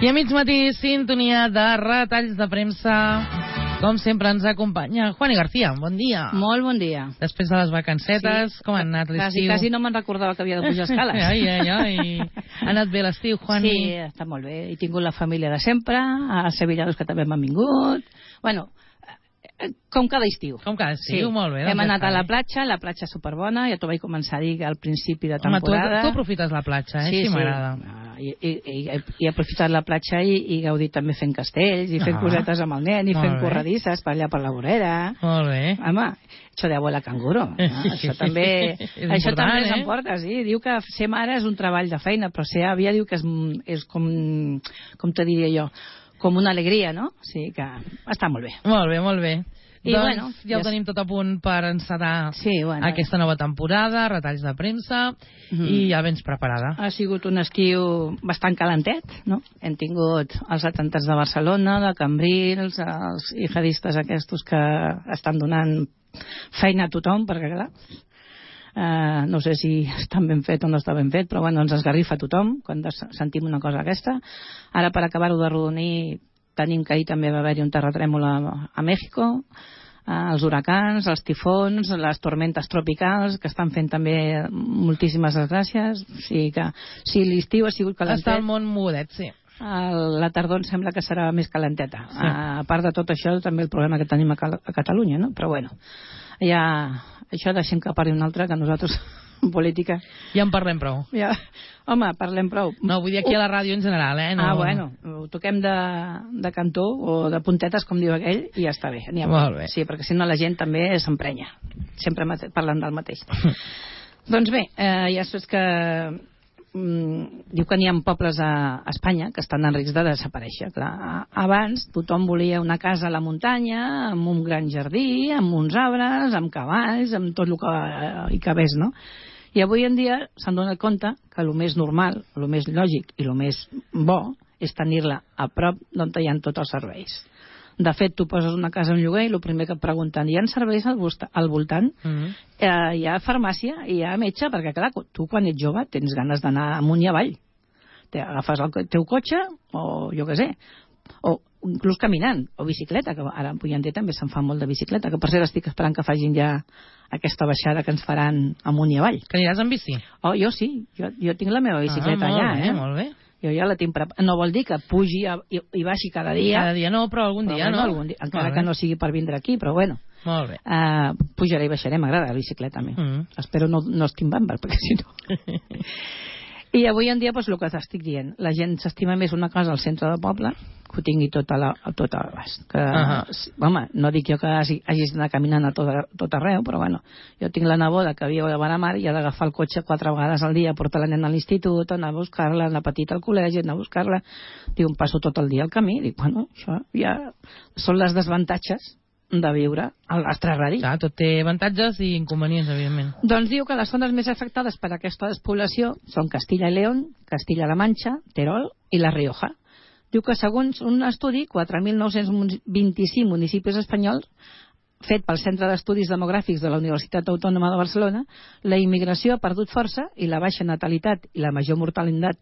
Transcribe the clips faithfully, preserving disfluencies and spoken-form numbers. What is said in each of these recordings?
I a mig matí, sintonia de retalls de premsa. Com sempre ens acompanya Juani García. Bon dia. Molt bon dia. Després de les vacancetes, sí. Com ha anat l'estiu? Quasi, quasi no me'n recordava que havia de pujar escales. ai, ai, ai. Ha anat bé l'estiu, Juani? Sí, està molt bé. He tingut la família de sempre, els sevillanos que també m'han vingut. Bueno, com cada estiu. Com cada estiu, sí. Molt bé. Hem anat a la platja, la platja superbona, ja t'ho vaig començar a dir al principi de temporada. Home, tu, tu aprofites la platja, eh? Sí, sí, sí. M'agrada. I, i, i, he aprofitat la platja i, i gaudit també fent castells, i fent ah, cosetes amb el nen, i fent bé. Corredisses per allà per la vorera. Molt bé. Home, això de abuela canguro. No? Això també, això també eh? s'emporta, sí. Diu que ser mare és un treball de feina, però ser àvia diu que és, és com, com te diria jo, com una alegria, no? O sigui que està molt bé. Molt bé, molt bé. I doncs bueno, ja ho tenim tot a punt per encetar sí, bueno, aquesta nova temporada, retalls de premsa, mm. i ja vens preparada. Ha sigut un estiu bastant calentet, no? Hem tingut els atemptats de Barcelona, de Cambrils, els jihadistes aquests que estan donant feina a tothom, perquè clar, uh, no sé si està ben fet o no està ben fet, però bueno, ens esgarrifa a tothom quan sentim una cosa aquesta. Ara, per acabar-ho de rodonir, tenim que ahir també va haver-hi un terratrèmol a, a Mèxico, eh, els huracans, els tifons, les tormentes tropicals, que estan fent també moltíssimes desgràcies. O sigui que si l'estiu ha sigut calentet... Està el món mogudet, sí. El, la tardor em sembla que serà més calenteta. Sí. A, a part de tot això, també el problema que tenim a, Cal a Catalunya, no? Però bueno, ja, això deixem que parli un altre, que nosaltres... en política. Ja en parlem prou. Ja. Home, parlem prou. No, vull dir aquí a la ràdio en general, eh? No... Ah, bueno, ho toquem de, de cantó o de puntetes, com diu aquell, i ja està bé. Molt bé. Sí, perquè si no la gent també s'emprenya. Sempre parlant del mateix. Doncs bé, eh, ja saps que mm, diu que n'hi ha pobles a Espanya que estan en risc de desaparèixer. Clar, abans tothom volia una casa a la muntanya, amb un gran jardí, amb uns arbres, amb cavalls, amb tot el que hi cabés, no? I avui en dia s'han donat compte que el més normal, el més lògic i el més bo és tenir-la a prop d'on hi ha tots els serveis. De fet, tu poses una casa en lloguer i el primer que et pregunten, hi ha serveis al, al voltant? Mm-hmm. eh, hi ha farmàcia i hi ha metge, perquè clar, tu quan ets jove tens ganes d'anar amunt i avall. Te agafes el teu cotxe o jo què sé, o inclús caminant, o bicicleta, que ara avui en dia també se'n fa molt de bicicleta, que per cert estic esperant que facin ja aquesta baixada que ens faran amunt i avall. Que aniràs amb bici? Oh, jo sí, jo, jo tinc la meva bicicleta ah, allà, bé, eh? Molt bé. Jo ja la tinc preparada. No vol dir que pugi a, i, i baixi cada dia. Cada dia no, però algun però dia, bueno, no? Algun dia, encara que no sigui per vindre aquí, però bueno. Molt bé. Uh, pujaré i baixaré, m'agrada la bicicleta a mi. Mm. Espero no, no estim bàmbar, perquè si no... I avui en dia, doncs, el que t'estic dient, la gent s'estima més una casa al centre del poble que ho tingui tot a la, a tot a l'abast. Que, uh -huh. Home, no dic jo que hagis d'anar caminant a tot, a tot arreu, però bueno, jo tinc la neboda que viu a Benamar i ha d'agafar el cotxe quatre vegades al dia, portar la nena a l'institut, anar a buscar-la, la petita al col·legi, anar a buscar-la. Diu, em passo tot el dia al camí. Dic, bueno, això ja són les desavantatges de viure al nostre radi. Clar, tot té avantatges i inconvenients, evidentment. Doncs diu que les zones més afectades per aquesta despoblació són Castilla i León, Castilla-La Manxa, Terol i La Rioja. Diu que segons un estudi, quatre mil nou-cents vint-i-cinc municipis espanyols, fet pel Centre d'Estudis Demogràfics de la Universitat Autònoma de Barcelona, la immigració ha perdut força i la baixa natalitat i la major mortalitat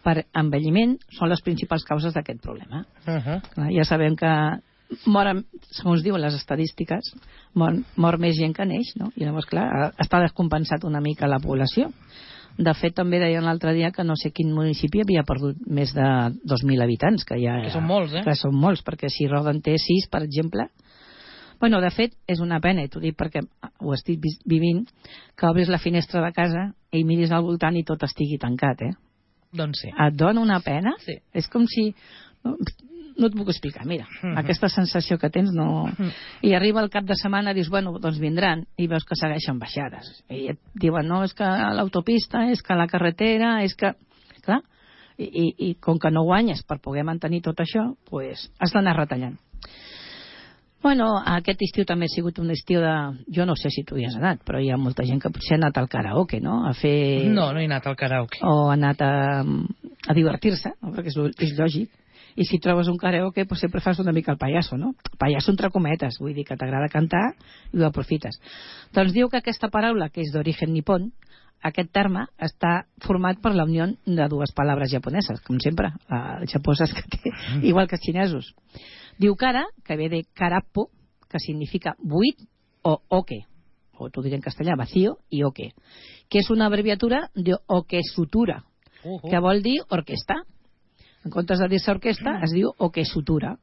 per envelliment són les principals causes d'aquest problema. Uh -huh. Clar, ja sabem que moren, segons diuen les estadístiques, mor, mor més gent que neix, no? I llavors, clar, està descompensat una mica la població. De fet, també deien l'altre dia que no sé quin municipi havia perdut més de dos mil habitants, que ja... Que són molts, eh? Que són molts, perquè si Roda té sis, per exemple... Bueno, de fet, és una pena, i t'ho dic perquè ho estic vivint, que obris la finestra de casa i miris al voltant i tot estigui tancat, eh? Doncs sí. Et dona una pena? Sí. És com si... No et puc explicar, mira, uh -huh. aquesta sensació que tens no... Uh -huh. I arriba el cap de setmana i dius, bueno, doncs vindran, i veus que segueixen baixades. I et diuen, no, és que l'autopista, és que la carretera, és que... Clar, i, i, i com que no guanyes per poder mantenir tot això, pues has d'anar retallant. Bueno, aquest estiu també ha sigut un estiu de... Jo no sé si tu hi has anat, però hi ha molta gent que potser ha anat al karaoke, no? A fer... No, no he anat al karaoke. O ha anat a, a divertir-se, no? Perquè és, és lògic. I si trobes un karaoke, pues sempre fas una mica el pallasso, no? Pallasso entre cometes, vull dir que t'agrada cantar i ho aprofites. Doncs diu que aquesta paraula, que és d'origen nipon, aquest terme està format per la unió de dues paraules japoneses, com sempre, els japonesos que té, igual que els xinesos. Diu kara, que ve de karapo, que significa buit o oke, o t'ho diré en castellà, vacío, i oke, que és una abreviatura de okesutura, uh -huh. que vol dir orquestra. En comptes de dir-se orquestra, es diu okesutura.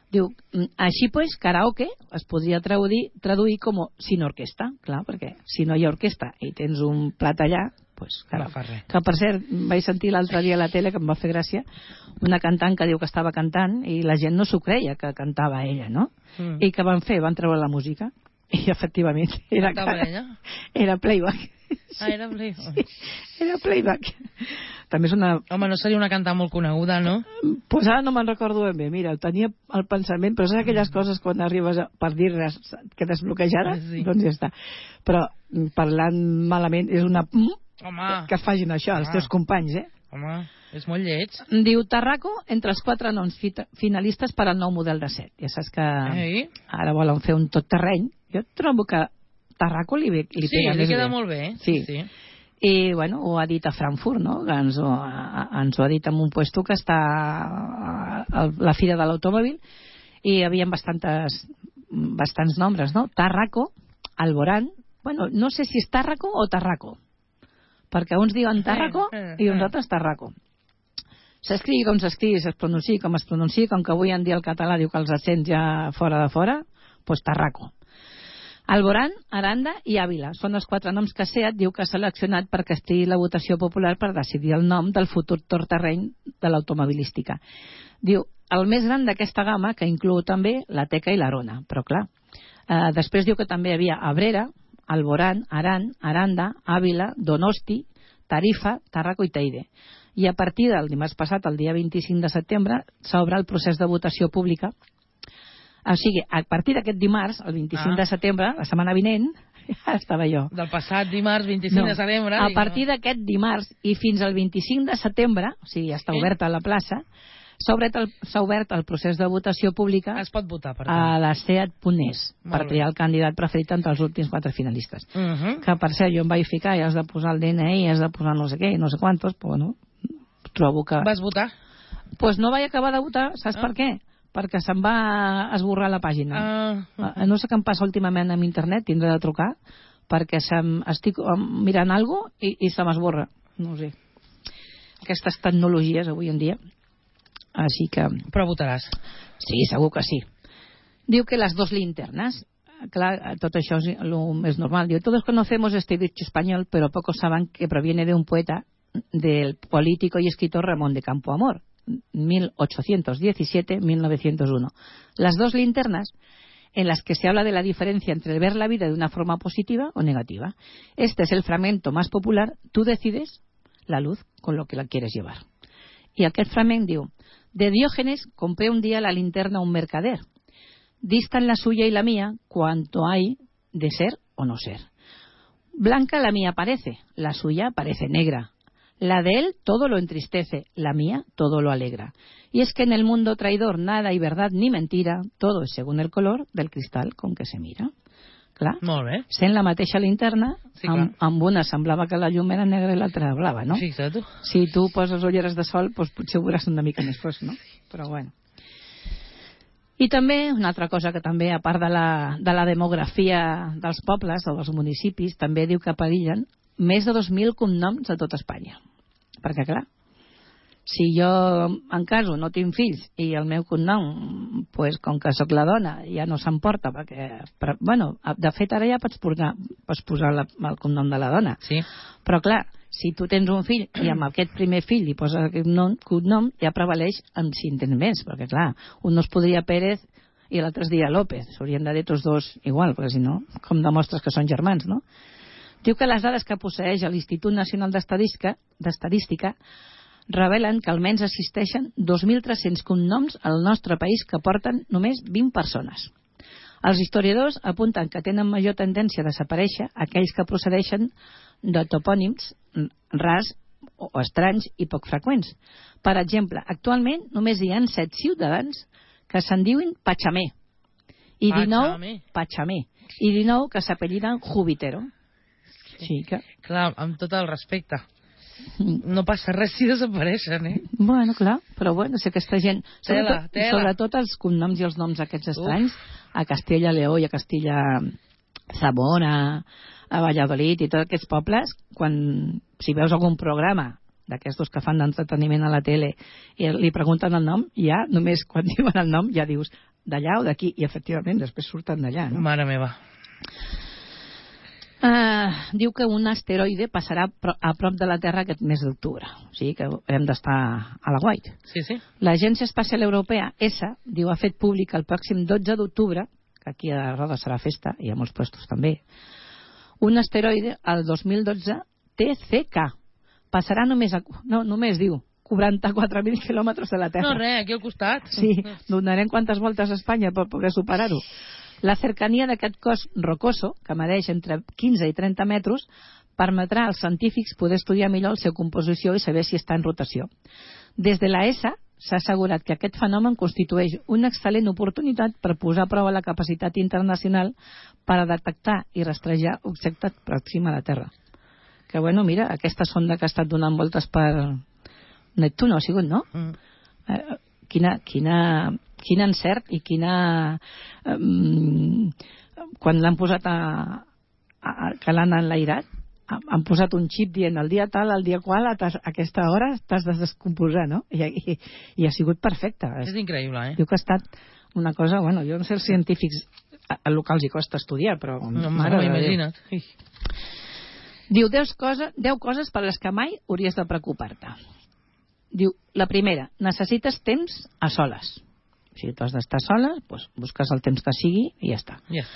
Diu, així pues, karaoke es podria traduir, traduir com sin orquestra, clar, perquè si no hi ha orquestra i tens un plat allà, pues, no fa res. Que per cert, vaig sentir l'altre dia a la tele, que em va fer gràcia, una cantant que diu que estava cantant i la gent no s'ho creia que cantava ella, no? Mm. I què van fer? Van treure la música i efectivament era, ella? era playback. Ah, era playback. Sí, era playback. També és una... Home, no seria una cantant molt coneguda, no? Pues ara no me'n recordo ben bé. Mira, tenia el pensament, però saps aquelles coses quan arribes a, per dir-les que desbloquejades? Sí. Doncs ja està. Però parlant malament és una... Home. Que facin això, els teus companys, eh? Home, és molt lleig. Diu Tarraco entre els quatre noms finalistes per al nou model de set. Ja saps que Ei. ara volen fer un tot terreny. Jo trobo que Tarraco li, li sí, pega li més queda bé. molt bé. Sí. sí. I, bueno, ho ha dit a Frankfurt, no? Que ens ho, a, ens ho ha dit en un puesto que està a, a la Fira de l'Automòbil i hi havia bastantes, bastants nombres, no? Tarraco, Alborán, bueno, no sé si és Tarraco o Tarraco, perquè uns diuen Tarraco i uns altres Tarraco. S'escrigui com s'escrigui, es pronunciï com es pronunciï, com que avui en dia el català diu que els accents ja fora de fora, doncs Tarraco. Alborán, Aranda i Ávila són els quatre noms que SEAT diu que ha seleccionat perquè estigui la votació popular per decidir el nom del futur torterreny de l'automobilística. Diu, el més gran d'aquesta gamma, que inclou també la Teca i l'Arona, però clar. Eh, després diu que també hi havia Abrera, Alborán, Aran, Aranda, Ávila, Donosti, Tarifa, Tarraco i Teide. I a partir del dimarts passat, el dia vint-i-cinc de setembre, s'obre el procés de votació pública. O sigui, a partir d'aquest dimarts, el vint-i-cinc ah. de setembre, la setmana vinent, ja estava jo. Del passat dimarts, vint-i-cinc no, de setembre. A partir no. d'aquest dimarts i fins al vint-i-cinc de setembre, o sigui, ja està sí. oberta la plaça, s'ha obert, el, obert el procés de votació pública es pot votar, per a la seat punt es per triar el candidat preferit entre els últims quatre finalistes. Uh -huh. Que per cert, jo em vaig ficar i has de posar el D N I, has de posar no sé què, i no sé quantos, però bueno, trobo que... Vas votar? Doncs pues no vaig acabar de votar, saps ah. per què? Perquè se'm va esborrar la pàgina. Uh -huh. No sé què em passa últimament amb internet, tindré de trucar, perquè se'm, estic mirant alguna cosa i, i se m'esborra. No ho sé. Aquestes tecnologies avui en dia. Així que... Però votaràs. Sí, segur que sí. Diu que les dos linternas, clar, tot això és el més normal. Diu, todos conocemos este dicho español, pero pocos saben que proviene de un poeta, del político y escritor Ramón de Campoamor, mil ochocientos diecisiete a mil novecientos uno. Las dos linternas en las que se habla de la diferencia entre ver la vida de una forma positiva o negativa. Este es el fragmento más popular. Tú decides la luz con lo que la quieres llevar. I aquest fragment diu: de Diógenes compré un día la linterna a un mercader. Distan la suya y la mía cuanto hay de ser o no ser. Blanca la mía parece, la suya parece negra. La de él todo lo entristece, la mía todo lo alegra. Y es que en el mundo traidor nada hay verdad ni mentira, todo es según el color del cristal con que se mira. Clar, molt bé. Sent la mateixa linterna, sí, amb, amb una semblava que la llum era negra i l'altra blava, no? Fixa't tu. Si tu poses ulleres de sol, doncs potser ho veuràs una mica més fosc, no? Però bueno. I també, una altra cosa que també, a part de la, de la demografia dels pobles o dels municipis, també diu que perillen més de dos mil cognoms a tot Espanya. Perquè, clar, si jo en caso no tinc fills i el meu cognom, pues, com que sóc la dona, ja no s'emporta, perquè, però, bueno, de fet ara ja pots posar, pots posar la, el cognom de la dona. Sí. Però, clar, si tu tens un fill i amb aquest primer fill li poses aquest nom, cognom, ja prevaleix en si en tens més, perquè, clar, un no es podria Pérez i l'altre es diria López. S'haurien de dir tots dos igual, perquè si no, com demostres que són germans, no? Diu que les dades que posseeix l'Institut Nacional d'Estadística, d'Estadística revelen que almenys existeixen dos mil tres-cents cognoms al nostre país que porten només vint persones. Els historiadors apunten que tenen major tendència a desaparèixer aquells que procedeixen de topònims rars o estranys i poc freqüents. Per exemple, actualment només hi ha set ciutadans que se'n diuen Pachamé i dinou Pachamé i dinou que s'apelliden Jubitero. Sí que... Clar, amb tot el respecte. No passa res si desapareixen, eh? Bueno, clar, però bueno, si aquesta gent... Tela, sobretot, tela. sobretot els cognoms i els noms aquests estranys, Uf. a Castella Leó i a Castilla Zamora, a Valladolid i tots aquests pobles, quan si veus algun programa d'aquestos que fan d'entreteniment a la tele i li pregunten el nom, ja, només quan diuen el nom ja dius d'allà o d'aquí, i efectivament després surten d'allà, no? Mare meva. Uh, diu que un asteroide passarà a prop de la Terra aquest mes d'octubre, o sigui que hem d'estar a la guait. Sí, sí. L'Agència Espacial Europea, E S A, diu, ha fet públic el pròxim dotze d'octubre, que aquí a Roda serà festa, i a molts puestos també, un asteroide, el dos mil dotze, T C K. Passarà només, a, no, només diu, quaranta-quatre mil quilòmetres de la Terra. No, res, aquí al costat. Sí, donarem quantes voltes a Espanya per poder superar-ho. La cercania d'aquest cos rocoso, que medeix entre quinze i trenta metres, permetrà als científics poder estudiar millor la seva composició i saber si està en rotació. Des de la E S A s'ha assegurat que aquest fenomen constitueix una excel·lent oportunitat per posar a prova la capacitat internacional per a detectar i rastrejar objectes pròxims a la Terra. Que bueno, mira, aquesta sonda que ha estat donant voltes per Neptuno ha sigut, no? Mm. Eh, quina, quina, quin encert i quina... Um, quan l'han posat a, a, a que l'han enlairat, han posat un xip dient el dia tal, el dia qual, a, tas, a aquesta hora t'has de descomposar, no? I, i, i ha sigut perfecte. És increïble, eh? Diu que ha estat una cosa... Bueno, jo no sé els científics a locals hi costa estudiar, però... No, mare, imagina't. Diu deu coses, deu coses per les que mai hauries de preocupar-te. Diu, la primera, necessites temps a soles. Si tu has d'estar sola, doncs busques el temps que sigui i ja està. Yeah.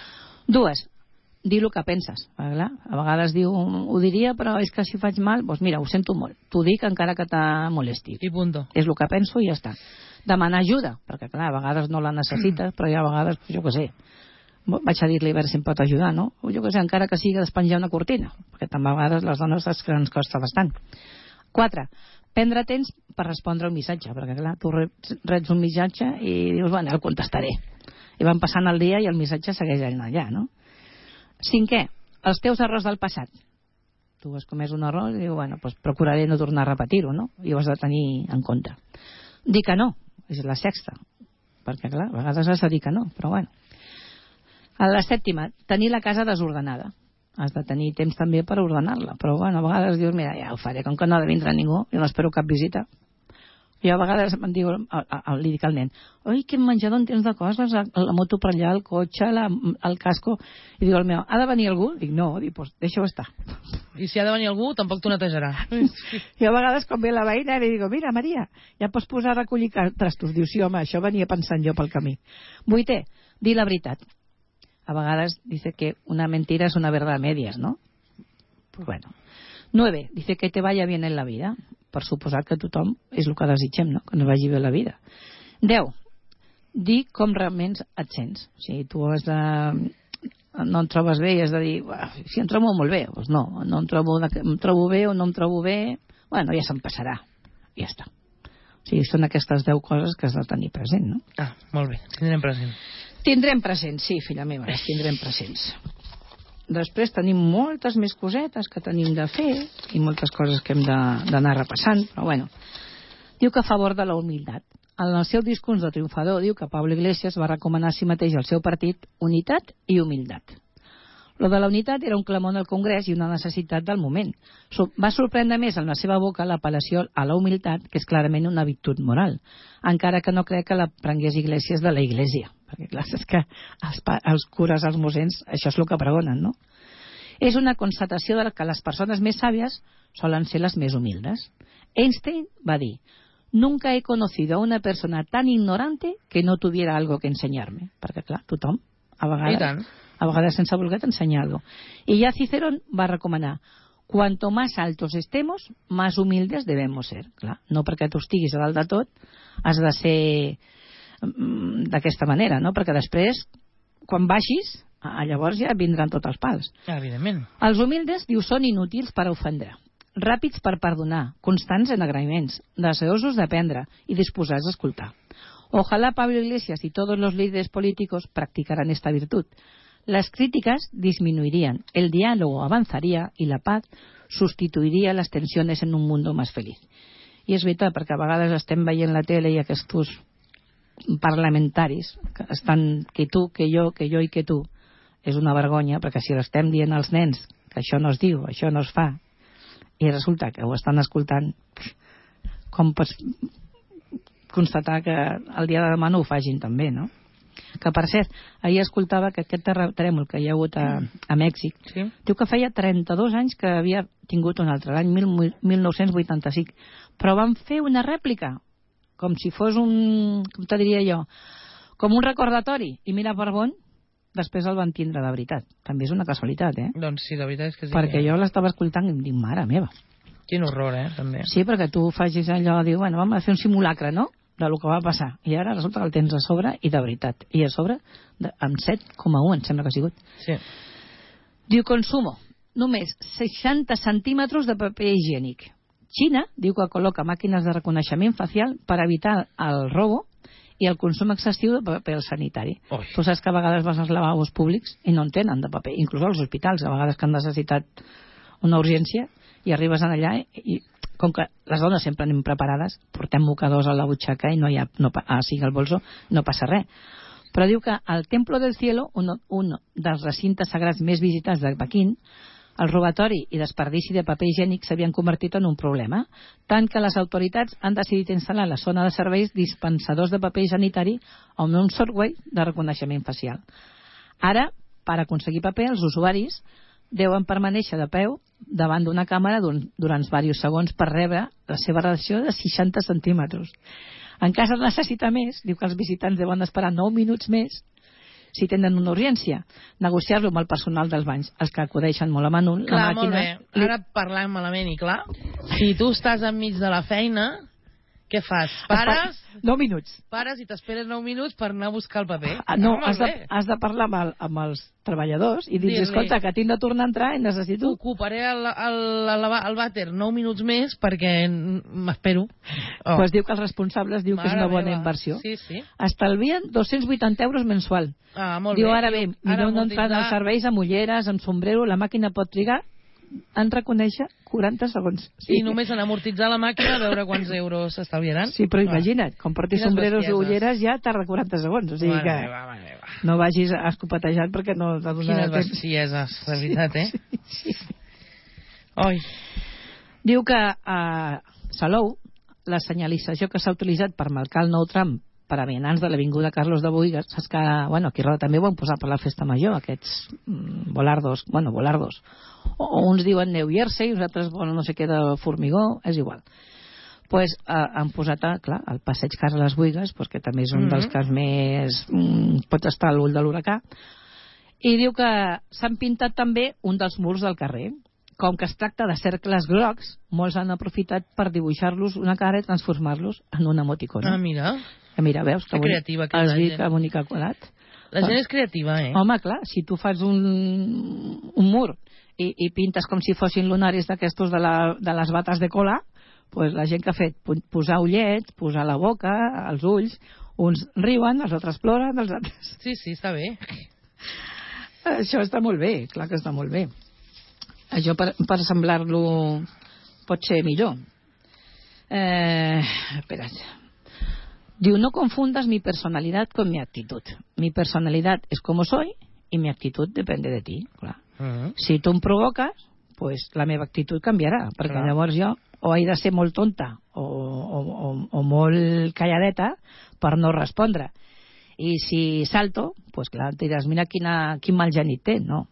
Dues, dir el que penses. Clar? A vegades diu, ho diria, però és que si faig mal, doncs mira, ho sento molt. T'ho dic encara que te molesti. I punto. És el que penso i ja està. Demanar ajuda, perquè clar, a vegades no la necessites, però ja a vegades, jo què sé, vaig a dir-li a veure si em pot ajudar, no? O jo què sé, encara que sigui despenjar una cortina, perquè també a vegades les dones saps que ens costa bastant. Quatre, prendre temps per respondre un missatge, perquè clar, tu reps un missatge i dius, bueno, el contestaré. I van passant el dia i el missatge segueix allà, no? Cinquè, els teus errors del passat. Tu has comès un error i dius, bueno, doncs procuraré no tornar a repetir-ho, no? I ho has de tenir en compte. Dir que no, és la sexta, perquè clar, a vegades has de dir que no, però bueno. A la sèptima, tenir la casa desordenada. Has de tenir temps també per ordenar-la, però bueno, a vegades dius, mira, ja ho faré, com que no ha de vindre ningú, jo no espero cap visita. Jo a vegades em diu, li dic al nen, oi, quin menjador en tens de coses, la moto per allà, el cotxe, la, el casco, i diu el meu, ha de venir algú? Dic, no, dic, pues, deixa-ho estar. I si ha de venir algú, tampoc t'ho netejarà. I a vegades quan ve la veïna li dic, mira, Maria, ja pots posar a recollir trastos. Diu, sí, home, això venia pensant jo pel camí. Vuitè, dir la veritat. A vegades dice que una mentira es una verdad a medias, ¿no? Pues bueno. Nueve, dice que te vaya bien en la vida. Per suposar que tothom és el que desitgem, no? Que ens vagi bé la vida. Deu, dir com realment et sents. O sigui, tu has de... no et trobes bé i has de dir, si em trobo molt bé, doncs no, no em trobo, em trobo bé o no em trobo bé, bueno, ja se'm passarà. I ja està. O sigui, són aquestes deu coses que has de tenir present, no? Ah, molt bé, tindrem present. Tindrem presents, sí, filla meva, tindrem presents. Després tenim moltes més cosetes que tenim de fer i moltes coses que hem d'anar repassant, però bueno. Diu que a favor de la humilitat. En el seu discurs de triomfador diu que Pablo Iglesias va recomanar a si mateix al seu partit unitat i humilitat. Lo de la unitat era un clamor al Congrés i una necessitat del moment. Va sorprendre més en la seva boca l'apel·lació a la humilitat, que és clarament una virtut moral, encara que no crec que la prengués Iglesias de la Iglesia, perquè clar, és que els, els cures, els mossens, això és el que pregonen, no? És una constatació de que les persones més sàvies solen ser les més humildes. Einstein va dir, nunca he conocido a una persona tan ignorante que no tuviera algo que enseñarme, perquè clar, tothom, a vegades... a vegades sense voler ensenyar algo. I ja Cicerón va recomanar, cuanto más altos estemos, más humildes debemos ser. Clar, no perquè tu estiguis a dalt de tot, has de ser d'aquesta manera, no? Perquè després, quan baixis, llavors ja vindran tots els pals. Evidentment. Els humildes, diu, són inútils per ofendre, ràpids per perdonar, constants en agraïments, deseosos d'aprendre i disposats a escoltar. Ojalá Pablo Iglesias y todos los líderes políticos practicaran esta virtud. Las críticas disminuirían, el diálogo avanzaría y la paz sustituiria les tensions en un mundo més feliç. I és veritat, perquè a vegades estem veient la tele i aquests parlamentaris que estan que tu, que jo, que jo i que tu, és una vergonya, perquè si l'estem dient als nens que això no es diu, això no es fa, i resulta que ho estan escoltant, com pots constatar que el dia de demà no ho facin també, no? Que per cert, ahir escoltava que aquest terratrèmol que hi ha hagut a, a Mèxic, sí, diu que feia trenta-dos anys que havia tingut un altre, l'any mil nou-cents vuitanta-cinc, però van fer una rèplica com si fos un, com te diria jo, com un recordatori, i mira per on després el van tindre de veritat. També és una casualitat, eh? Doncs sí, la veritat és que sí. Perquè jo l'estava escoltant i em dic, mare meva. Quin horror, eh, també. Sí, perquè tu facis allò, diu, bueno, vam a fer un simulacre, no?, de lo que va passar, i ara resulta que el tens a sobre i de veritat, i a sobre de, amb set coma u em sembla que ha sigut. Sí. Diu, consumo només seixanta centímetres de paper higiènic. Xina diu que col·loca màquines de reconeixement facial per evitar el robo i el consum excessiu de paper sanitari. Oi. Tu saps que a vegades vas als lavabos públics i no en tenen de paper, inclús als hospitals, a vegades que han necessitat una urgència i arribes allà i com que les dones sempre anem preparades, portem mocadors a la butxaca i no hi ha, no, ah, sigui el bolso, no passa res. Però diu que al Templo del Cielo, un, un dels recintes sagrats més visitats de Pequín, el robatori i desperdici de paper higiènic s'havien convertit en un problema, tant que les autoritats han decidit instal·lar a la zona de serveis dispensadors de paper sanitari amb un software de reconeixement facial. Ara, per aconseguir paper, els usuaris deuen permanèixer de peu davant d'una càmera durant diversos segons per rebre la seva reacció de seixanta centímetres. En cas de necessitar més, diu que els visitants deuen esperar nou minuts més si tenen una urgència, negociar-lo amb el personal dels banys, els que acudeixen molt a menut. Clar, la màquina... molt bé. Ara parlant malament, i clar, si tu estàs enmig de la feina, què fas? Pares? Nou minuts. Pares i t'esperes nou minuts per anar a buscar el paper. Ah, no, no has, de, has de parlar amb, el, amb els treballadors i dir, escolta, que tinc de tornar a entrar i necessito... Ocuparé el, el, el, el vàter nou minuts més perquè m'espero. Oh. Pues diu que els responsables diu Mare que és una bona meva. Inversió. Sí, sí. Estalvien dos-cents vuitanta euros mensual. Ah, molt diu, bé. Ara bé, millor no entrar als serveis amb ulleres, amb sombrero, la màquina pot trigar en reconèixer quaranta segons. Sí. I només en amortitzar la màquina a veure quants euros s'estalviaran. Sí, però imagina't, com portis sombreros i ulleres ja tarda quaranta segons. O sigui que va, va, va. No vagis escopetejant perquè no t'ha donat Quines bestieses, de veritat, eh? Sí, sí. Oi. Diu que a Salou la senyalització que s'ha utilitzat per marcar el nou tram per a vianants de l'avinguda Carlos de Buïgas, saps que, bueno, aquí Roda també ho han posat per la festa major, aquests mm, volardos, bueno, volardos, o, o uns diuen New Jersey, uns altres, bueno, no sé què de formigó, és igual. Pues eh, han posat, clar, el passeig Carles Buïgas, pues, que també és un mm-hmm. dels que més mm, pot estar a l'ull de l'huracà, i diu que s'han pintat també un dels murs del carrer. Com que es tracta de cercles grocs, molts han aprofitat per dibuixar-los una cara i transformar-los en una emoticona. Ah, mira. Que mira, veus? Que creativa, que has vist que bonic ha colat? La gent és creativa, eh? Home, clar, si tu fas un, un mur i, i pintes com si fossin lunaris d'aquestos de, la, de les bates de cola, pues la gent que ha fet posar ullets, posar la boca, els ulls, uns riuen, els altres ploren, els altres... Sí, sí, està bé. Això està molt bé, clar que està molt bé. Això per, per semblar-lo pot ser millor. Eh, espera't. Diu, no confundas mi personalidad con mi actitud. Mi personalidad es como soy y mi actitud depende de ti. Clar. Uh-huh. Si tu em provoques, pues la meva actitud canviarà, perquè clar. Llavors jo o he de ser molt tonta o, o, o, o molt calladeta per no respondre. I si salto, pues clar, et diràs, mira quina, quin mal genit té. No,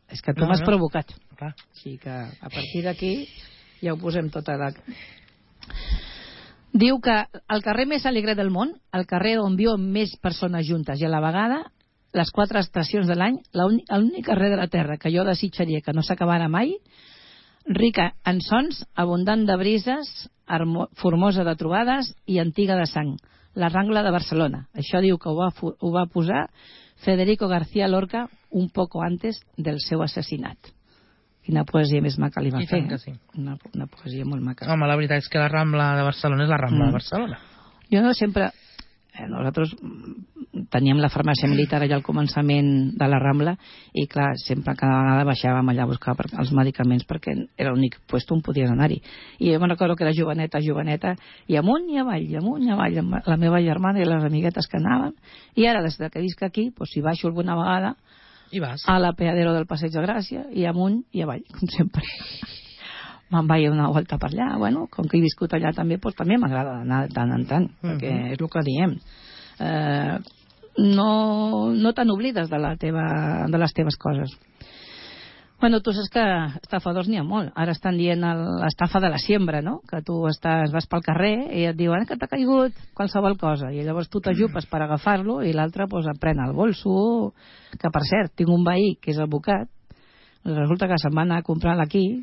és que tu no, m'has no. provocat. Clar. Així que a partir d'aquí ja ho posem tota la... Diu que el carrer més alegre del món, el carrer on viuen més persones juntes i a la vegada, les quatre estacions de l'any, l'únic carrer de la Terra que jo desitjaria que no s'acabara mai, rica en sons, abundant de brises, formosa de trobades i antiga de sang, la Rambla de Barcelona. Això diu que ho va, ho va posar Federico García Lorca un poco antes del seu assassinat. Quina poesia més maca li va I fer. tant que sí. Una, una poesia molt maca. Home, la veritat és que la Rambla de Barcelona és la Rambla mm. de Barcelona. Jo no sempre... Eh, nosaltres teníem la farmàcia militar allà al començament de la Rambla i, clar, sempre cada vegada baixàvem allà a buscar per, els medicaments perquè era l'únic lloc on podies anar-hi. I jo me'n recordo que era joveneta, joveneta, i amunt i avall, i amunt i avall, amb la meva germana i les amiguetes que anaven. I ara, des que visc aquí, doncs, si baixo alguna vegada I vas. a l'apeadero del Passeig de Gràcia, i amunt i avall, com sempre. Me'n vaig una volta per allà. Bueno, com que he viscut allà també, doncs també m'agrada anar de tant en tant, uh-huh. perquè és el que diem. Eh, no, no te n'oblides de, la teva, de les teves coses. Bueno, tu saps que estafadors n'hi ha molt. Ara estan dient l'estafa de la siembra, no? Que tu estàs, vas pel carrer i et diuen que t'ha caigut qualsevol cosa, i llavors tu t'ajupes per agafar-lo i l'altre pues, et pren el bolso. Que, per cert, tinc un veí que és advocat, resulta que se'n va anar a comprar aquí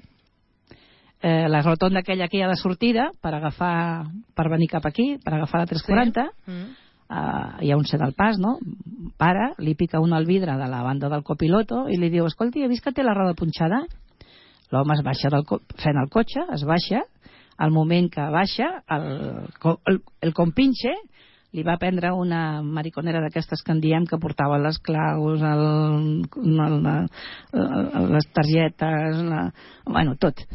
Eh, la rotonda aquella aquí a la sortida per agafar, per venir cap aquí, per agafar la tres quaranta, sí. mm. uh, hi ha un set al pas, no? Para, li pica un al vidre de la banda del copiloto i li diu, escolti, he vist que té la roda punxada? L'home es baixa del fent el cotxe, es baixa, al moment que baixa, el, el, el compinxe li va prendre una mariconera d'aquestes que en diem que portava les claus, el, el, el, les targetes, la, bueno, tot.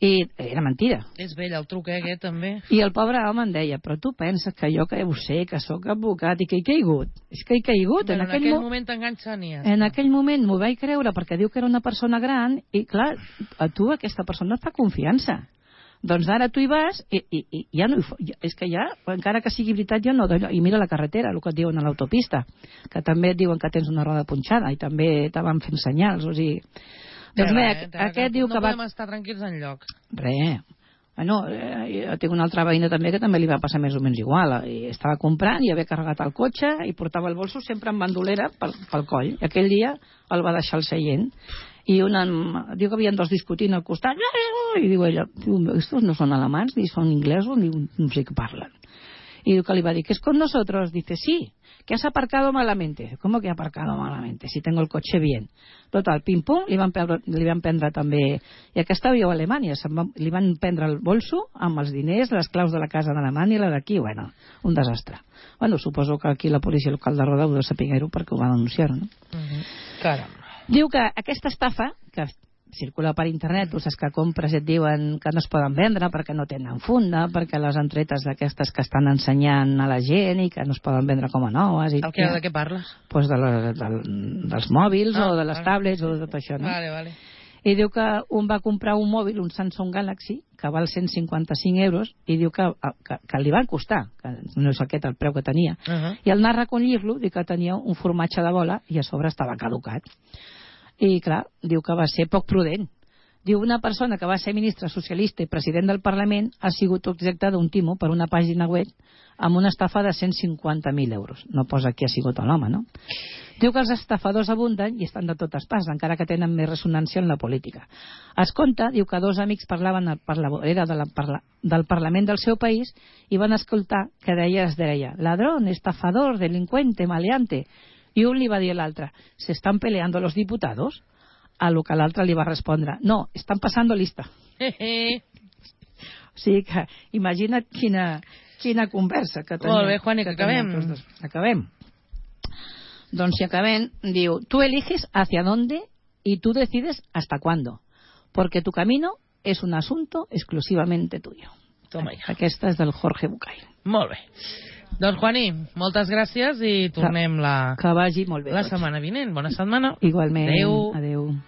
I era mentida. És vell el truc, eh, aquest, també. I el pobre home em deia, però tu penses que jo que ho sé, que sóc advocat i que he caigut? És que he caigut. Però en, en aquell, aquell mo moment t'enganxen i ja En aquell moment m'ho vaig creure perquè diu que era una persona gran i, clar, a tu aquesta persona et fa confiança. Doncs ara tu hi vas i, i, i ja no hi fa, és que ja, encara que sigui veritat, ja no d'allò. I mira la carretera, el que et diuen a l'autopista, que també et diuen que tens una roda punxada i també te van fent senyals, o sigui... Doncs bé, eh, aquest diu no que va... podem estar tranquils enlloc. Re. Bueno, eh, jo tinc una altra veïna també que també li va passar més o menys igual. I estava comprant i havia carregat el cotxe i portava el bolso sempre amb bandolera pel, pel coll. I aquell dia el va deixar al seient. I una, diu que havien dos discutint al costat. I diu ella, estos no són alemans, ni són inglesos, ni no sé què parlen. Y diu que li va dir, ¿qué es con nosotros? Dice, sí, que has aparcado malamente. ¿Cómo que he aparcado malamente? Si tengo el coche bien. Total, pim-pum, li van, prendre, li van prendre també... I aquesta viu a Alemanya, va, li van prendre el bolso amb els diners, les claus de la casa d'Alemanya i la d'aquí. Bueno, un desastre. Bueno, suposo que aquí la policia local de Roda ho de saber-ho perquè ho va denunciar, no? Uh-huh. Caram. Diu que aquesta estafa, que circula per internet, tu saps que compres i et diuen que no es poden vendre perquè no tenen funda, perquè les entretes d'aquestes que estan ensenyant a la gent i que no es poden vendre com a noves. I el que, de què parles? Pues de la, de, dels mòbils ah, o de les vale. tablets o de tot això, no? Vale, vale. I diu que un va comprar un mòbil, un Samsung Galaxy, que val cent cinquanta-cinc euros, i diu que, que, que li van costar, que no és aquest el preu que tenia, uh -huh. i al anar a recollir-lo, diu que tenia un formatge de bola i a sobre estava caducat. I, clar, diu que va ser poc prudent. Diu, una persona que va ser ministre socialista i president del Parlament ha sigut objecte d'un timo per una pàgina web amb una estafa de cent cinquanta mil euros. No posa qui ha sigut l'home, no? Diu que els estafadors abunden i estan de totes parts, encara que tenen més ressonància en la política. Es conta, diu que dos amics parlaven per la vorera de la, parla, del Parlament del seu país i van escoltar que deia, es deia, ladrón, estafador, delincuente, maleante. I un li va dir a l'altre, ¿se están peleando los diputados? A lo que l'altre li va respondre, no, están pasando lista. O sigui que imagina't quina, quina conversa que tenim. Molt bé, Juani, que, que acabem. Acabem. Doncs si acabem, diu, tú eliges hacia dónde y tú decides hasta cuándo, porque tu camino es un asunto exclusivamente tuyo. Toma ja. Aquesta és del Jorge Bucay. Molt bé. Doncs, Juani, moltes gràcies i tornem la, que vagi molt bé la tots. setmana vinent. Bona setmana. Igualment. Adéu. Adéu.